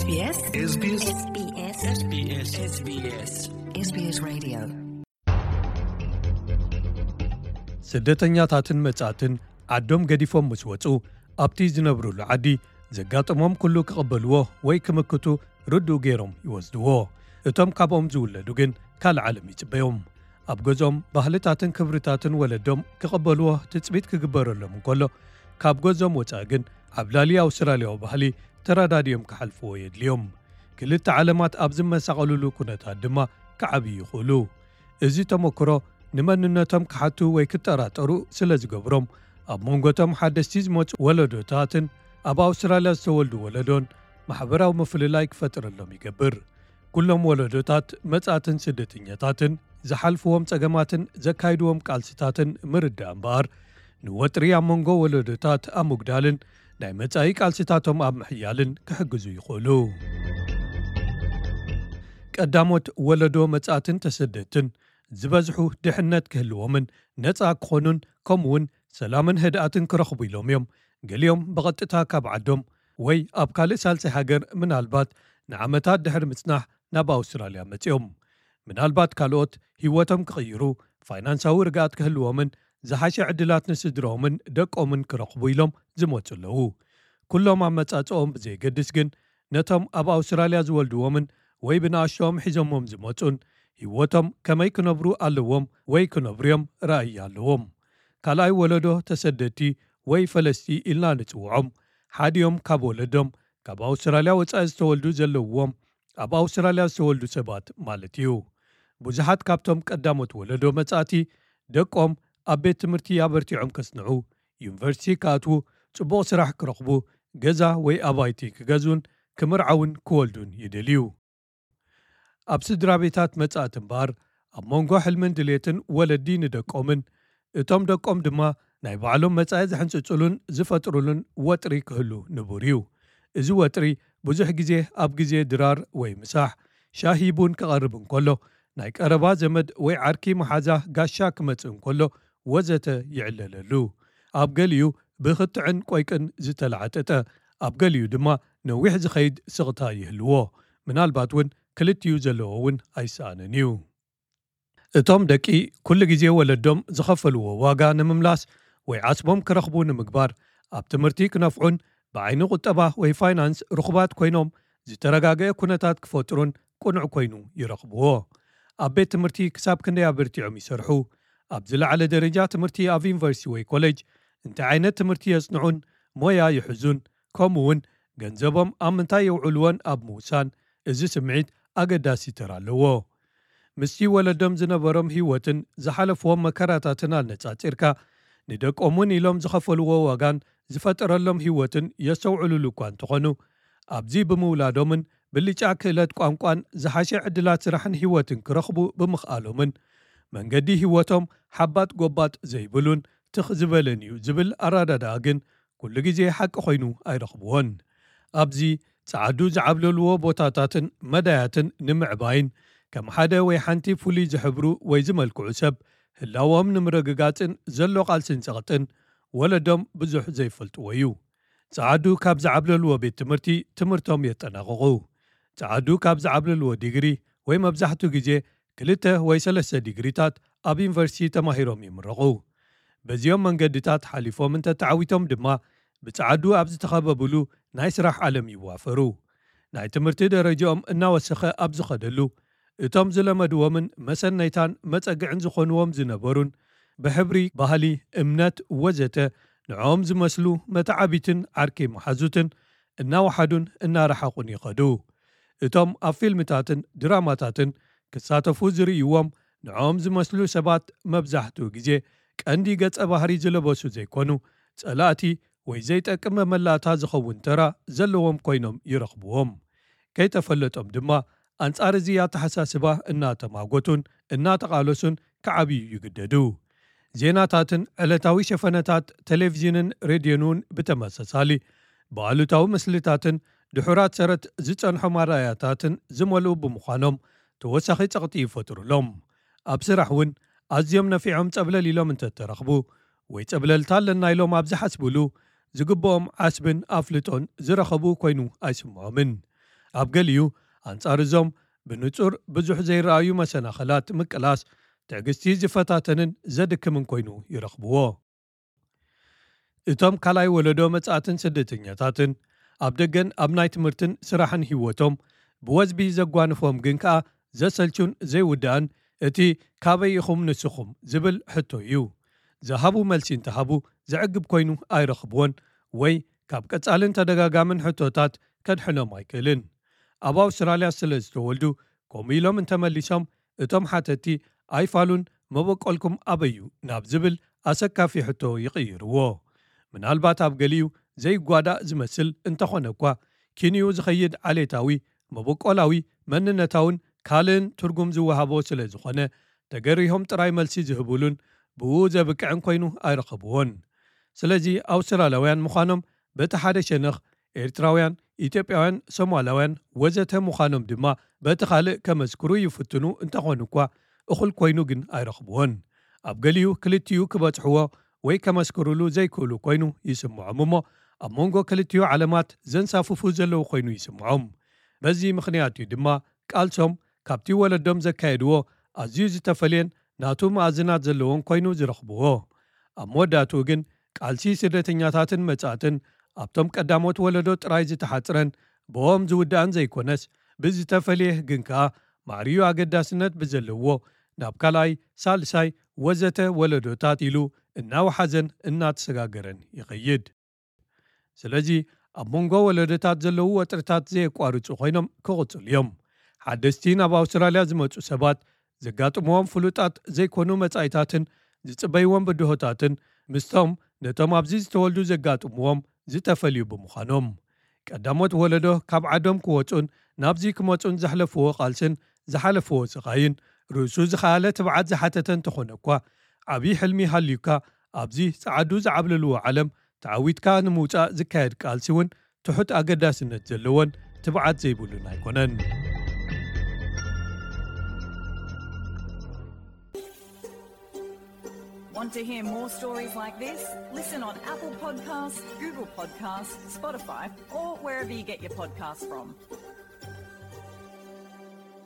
SBS SBS SBS SBS SBS Radio. ስደተኛታትን መጻእትን ዓዶም ገዲፎም ምስ ወጹ፣ ኣብቲ ዝነብሩሉ ዓዲ ዘጋጠሞም ኩሉ ክቕበልዎ ወይ ክምክቱ ርዱእ ገይሮም ይወስድዎ። እቶም ካብኦም ዝውለዱ ግን ካልእ ዓለም ይጽበዮም። ኣብ ገዝኦም ባህልታትን ክብርታትን ወለዶም ክቕበልዎ ትጽቢት ክግበረሎም እንከሎ፣ ካብ ገዝኦም ወጻኢ ግን ዓብላሊ ኣውስትራልያዊ ባህሊ ተረዳዲኦም ክሓልፍዎ የድልዮም። ክልተ ዓለማት ኣብ ዝመሳቐሉሉ ኩነታት ድማ ክዓብዩ ይኽእሉ። እዚ ተመክሮ ንመንነቶም ክሓቱ ወይ ክጠራጠሩ ስለ ዝገብሮም፣ ኣብ መንጎቶም ሓደስቲ ዝመጹ ወለዶታትን ኣብ ኣውስትራልያ ዝተወልዱ ወለዶን ማሕበራዊ ምፍልላይ ክፈጥረሎም ይገብር። ኩሎም ወለዶታት መጻእትን ስደተኛታትን ዝሓልፍዎም ጸገማትን ዘካይድዎም ቃልስታትን ምርዳእ እምበኣር፣ ንወጥሪ ኣብ መንጎ ወለዶታት ኣብ ምጉዳልን ናይ መጻኢ ቃልስታቶም ኣብ ምሕያልን ክሕግዙ ይኽእሉ። ቀዳሞት ወለዶ መጻእትን ተሰደድትን ዝበዝሑ ድሕነት ክህልዎምን ነጻ ክኾኑን ከምኡውን ሰላምን ህድኣትን ክረኽቡ ኢሎም እዮም። ገሊኦም ብቐጥታ ካብ ዓዶም ወይ ኣብ ካልእ ሳልሳይ ሃገር ምናልባት ንዓመታት ድሕሪ ምጽናሕ ናብ ኣውስትራልያ መጺኦም። ምናልባት ካልኦት ህይወቶም ክቕይሩ፣ ፋይናንሳዊ ርግኣት ክህልዎምን ዝሓሸ ዕድላት ንስድራኦምን ደቆምን ክረኽቡ ኢሎም ዝመጹ ኣለዉ። ኩሎም ኣመጻጽኦም ብዘየገድስ ግን ነቶም ኣብ ኣውስትራልያ ዝወልድዎምን ወይ ብንኣሽቶኦም ሒዞሞም ዝመጹን ህይወቶም ከመይ ክነብሩ ኣለዎም ወይ ክነብሩ እዮም ራእይ ኣለዎም። ካልኣይ ወለዶ ተሰደድቲ ወይ ፈለስቲ ኢልና ንጽውዖም ሓዲኦም ካብ ወለዶም ካብ ኣውስትራልያ ወጻኢ ዝተወልዱ ዘለውዎም ኣብ ኣውስትራልያ ዝተወልዱ ሰባት ማለት እዩ። ብዙሓት ካብቶም ቀዳሞት ወለዶ መጻእቲ ደቆም ኣብ ቤት ትምህርቲ ኣበርቲዖም ከጽንዑ፣ ዩኒቨርሲቲ ክኣትዉ፣ ጽቡቕ ስራሕ ክረኽቡ፣ ገዛ ወይ ኣባይቲ ክገዝኡን ክምርዓውን ክወልዱን ይደልዩ። ኣብ ስድራ ቤታት መጻእቲ እምበኣር ኣብ መንጎ ሕልምን ድሌትን ወለዲ ንደቆምን እቶም ደቆም ድማ ናይ ባዕሎም መጻኢ ዝሕንጽጹሉን ዝፈጥሩሉን ወጥሪ ክህሉ ንቡር እዩ። እዚ ወጥሪ ብዙሕ ግዜ ኣብ ግዜ ድራር ወይ ምሳሕ ሻሂ ቡን ክቐርብ እንከሎ ናይ ቀረባ ዘመድ ወይ ዓርኪ መሓዛ ጋሻ ክመጽእ እንከሎ ወዘተ ይዕለለሉ። ኣብ ገሊኡ ብኽትዕን ቆይቅን ዝተላዕጠጠ፣ ኣብ ገሊኡ ድማ ነዊሕ ዝኸይድ ስቕታ ይህልዎ። ምናልባት እውን ክልቲኡ ዘለዎ እውን ኣይሰኣንን እዩ። እቶም ደቂ ኩሉ ግዜ ወለዶም ዝኸፈልዎ ዋጋ ንምምላስ ወይ ዓስቦም ክረኽቡ ንምግባር ኣብ ትምህርቲ ክነፍዑን ብዓይኒ ቁጠባ ወይ ፋይናንስ ርኹባት ኮይኖም ዝተረጋገአ ኩነታት ክፈጥሩን ቅኑዕ ኮይኑ ይረኽብዎ። ኣብ ቤት ትምህርቲ ክሳብ ክንደይ ኣበርቲዖም ይሰርሑ፣ ኣብ ዝለዓለ ደረጃ ትምህርቲ ኣብ ዩኒቨርሲቲ ወይ ኮሌጅ እንታይ ዓይነት ትምህርቲ የጽንዑን ሞያ ይሕዙን፣ ከምኡ እውን ገንዘቦም ኣብ ምንታይ የውዕልዎን ኣብ ምውሳን እዚ ስምዒት ኣገዳሲ ተራ ኣለዎ። ምስቲ ወለዶም ዝነበሮም ህይወትን ዝሓለፍዎም መከራታትን ኣነጻጺርካ፣ ንደቆም እውን ኢሎም ዝኸፈልዎ ዋጋን ዝፈጠረሎም ህይወትን የስተውዕሉሉ እኳ እንተኾኑ፣ ኣብዚ ብምውላዶምን ብልጫ ክእለት ቋንቋን ዝሓሸ ዕድላት ስራሕን ህይወትን ክረኽቡ ብምኽኣሎምን መንገዲ ህይወቶም ሓባጥ ጎባጥ ዘይብሉን ትኽ ዝበለን እዩ ዝብል ኣረዳድኣ ግን ኩሉ ግዜ ሓቂ ኮይኑ ኣይረኽብዎን። ኣብዚ ጸዓዱ ዝዓብለልዎ ቦታታትን መዳያትን ንምዕባይን ከም ሓደ ወይ ሓንቲ ፍሉይ ዝሕብሩ ወይ ዝመልክዑ ሰብ ህላዎም ንምርግጋጽን ዘሎ ቃልስን ጸቕጥን ወለዶም ብዙሕ ዘይፈልጥዎ እዩ። ጸዓዱ ካብ ዝዓብለልዎ ቤት ትምህርቲ ትምህርቶም የጠናቕቑ። ጸዓዱ ካብ ዝዓብለልዎ ዲግሪ ወይ መብዛሕትኡ ግዜ ክልተ ወይ ሰለስተ ዲግሪታት ኣብ ዩኒቨርሲቲ ተማሂሮም ይምረቑ። በዚኦም መንገድታት ሓሊፎም እንተተዓዊቶም ድማ ብጸዓዱ ኣብ ዝተኸበብሉ ናይ ስራሕ ዓለም ይዋፈሩ። ናይ ትምህርቲ ደረጃኦም እናወሰኸ ኣብ ዝኸደሉ እቶም ዝለመድዎምን መሰነይታን መጸግዕን ዝኾንዎም ዝነበሩን ብሕብሪ፣ ባህሊ፣ እምነት ወዘተ ንዕኦም ዝመስሉ መተዓቢትን ዓርኪ መሓዙትን እናወሓዱን እናረሓቑን ይኸዱ። እቶም ኣብ ፊልምታትን ድራማታትን ክሳተፉ ዝርእይዎም ንዕኦም ዝመስሉ ሰባት መብዛሕትኡ ግዜ ቀንዲ ገጸ ባህሪ ዝለበሱ ዘይኮኑ ጸላእቲ ወይ ዘይጠቅም መመላእታ ዝኸውን ተራ ዘለዎም ኮይኖም ይረኽብዎም። ከይተፈለጦም ድማ ኣንጻር እዚ ኣተሓሳስባ እናተማጎቱን እናተቓለሱን ክዓብዩ ይግደዱ። ዜናታትን ዕለታዊ ሸፈነታት ቴሌቪዥንን ሬድዮን እውን ብተመሳሳሊ ብኣሉታዊ ምስልታትን ድሑራት ሰረት ዝጸንሖም ኣረኣእያታትን ዝመልኡ ብምዃኖም ተወሳኺ ጸቕጢ ይፈጥሩሎም። ኣብ ስራሕ እውን ኣዝዮም ነፊዖም ጸብለል ኢሎም እንተተረኽቡ ወይ ጸብለልታ ኣለና ኢሎም ኣብ ዝሓስብሉ ዝግብኦም ዓስብን ኣፍልጦን ዝረኸቡ ኮይኑ ኣይስምዖምን። ኣብ ገሊኡ፣ ኣንጻር እዞም ብንጹር ብዙሕ ዘይረኣዩ መሰናኸላት ምቅላስ፣ ትዕግስቲ ዝፈታተንን ዘድክምን ኮይኑ ይረኽብዎ። እቶም ካልኣይ ወለዶ መጻእትን ስደተኛታትን፣ ኣብ ደገን ኣብ ናይ ትምህርትን ስራሕን ህይወቶም፣ ብወዝቢ ዘጓንፎም ግን ከኣ ዘሰልቹን ዘይውዳእን፣ እቲ "ካበይ ኢኹም ንስኹም?" ዝብል ሕቶ እዩ። ዝሃቡ መልሲ እንተሃቡ፣ ዘዕግብ ኮይኑ ኣይረኽብዎን፣ ወይ ካብ ቀጻልን ተደጋጋምን ሕቶታት ከድሕኖም ኣይክእልን። ኣብ ኣውስትራልያ ስለ ዝተወልዱ፣ ከምኡ ኢሎም እንተመሊሶም፣ እቶም ሓተቲ ኣይፋሉን "መበቆልኩም ኣበይ እዩ?" ናብ ዝብል ኣሰካፊ ሕቶ ይቕይርዎ። ምናልባት ኣብ ገሊኡ ዘይጓዳእ ዝመስል እንተኾነ እኳ፣ ኪንኡ ዝኸይድ ዓሌታዊ፣ መበቆላዊ፣ መንነታውን ካልእን ትርጉም ዝወሃቦ ስለ ዝኾነ፣ ተገሪሆም ጥራይ መልሲ ዝህብሉን ብኡ ዘብቅዕን ኮይኑ ኣይረኸብዎን። ስለዚ ኣውስትራልያውያን ምዃኖም በቲ ሓደ ሸነኽ፣ ኤርትራውያን፣ ኢትዮጵያውያን፣ ሶማላውያን ወዘተ ምዃኖም ድማ በቲ ካልእ ከመስክሩ ይፍትኑ እንተኾኑ እኳ፣ እኹል ኮይኑ ግን ኣይረኽብዎን። ኣብ ገሊኡ ክልቲኡ ክበጽሕዎ ወይ ከመስክሩሉ ዘይክእሉ ኮይኑ ይስምዖም እሞ፣ ኣብ መንጎ ክልቲኡ ዓለማት ዘንሳፍፉ ዘለዉ ኮይኑ ይስምዖም። በዚ ምኽንያት እዩ ድማ ቃልሶም ካብቲ ወለዶም ዘካየድዎ ኣዝዩ ዝተፈልየን ናቱ መኣዝናት ዘለዎን ኮይኑ ዝረኽብዎ። ኣብ መወዳእትኡ ግን፣ ቃልሲ ስደተኛታትን መጻእትን ኣብቶም ቀዳሞት ወለዶ ጥራይ ዝተሓጽረን ብኦም ዝውዳእን ዘይኮነስ፣ ብዝተፈልየ ግን ከኣ ማዕርዩ ኣገዳስነት ብዘለዎ ናብ ካልኣይ፣ ሳልሳይ ወዘተ ወለዶታት ኢሉ እናወሓዘን እናተሰጋገረን ይኸይድ። ስለዚ፣ ኣብ መንጎ ወለዶታት ዘለዉ ወጥርታት ዘየቋርጹ ኮይኖም ክቕጽሉ እዮም። ሓደስቲ ናብ ኣውስትራልያ ዝመጹ ሰባት ዘጋጥምዎም ፍሉጣት ዘይኮኑ መጻኢታትን ዝጽበይዎም ብድሆታትን፣ ምስቶም ነቶም ኣብዚ ዝተወልዱ ዘጋጥምዎም ዝተፈልዩ ብምዃኖም፣ ቀዳሞት ወለዶ ካብ ዓዶም ክወጹን ናብዚ ክመጹን ዘሕለፍዎ ቃልስን ዝሓለፍዎ ስቓይን፣ ርእሱ ዝኸኣለ ትብዓት ዝሓተተ እንተኾነ እኳ፣ ዓብዪ ሕልሚ ሃልዩካ ኣብዚ ጸዓዱ ዝዓብለልዎ ዓለም ተዓዊትካ ንምውጻእ ዝካየድ ቃልሲ እውን ትሑት ኣገዳስነት ዘለዎን ትብዓት ዘይብሉን ኣይኮነን። Want to hear more stories like this? Listen on Apple Podcasts, Google Podcasts, Spotify, or wherever you get your podcasts from.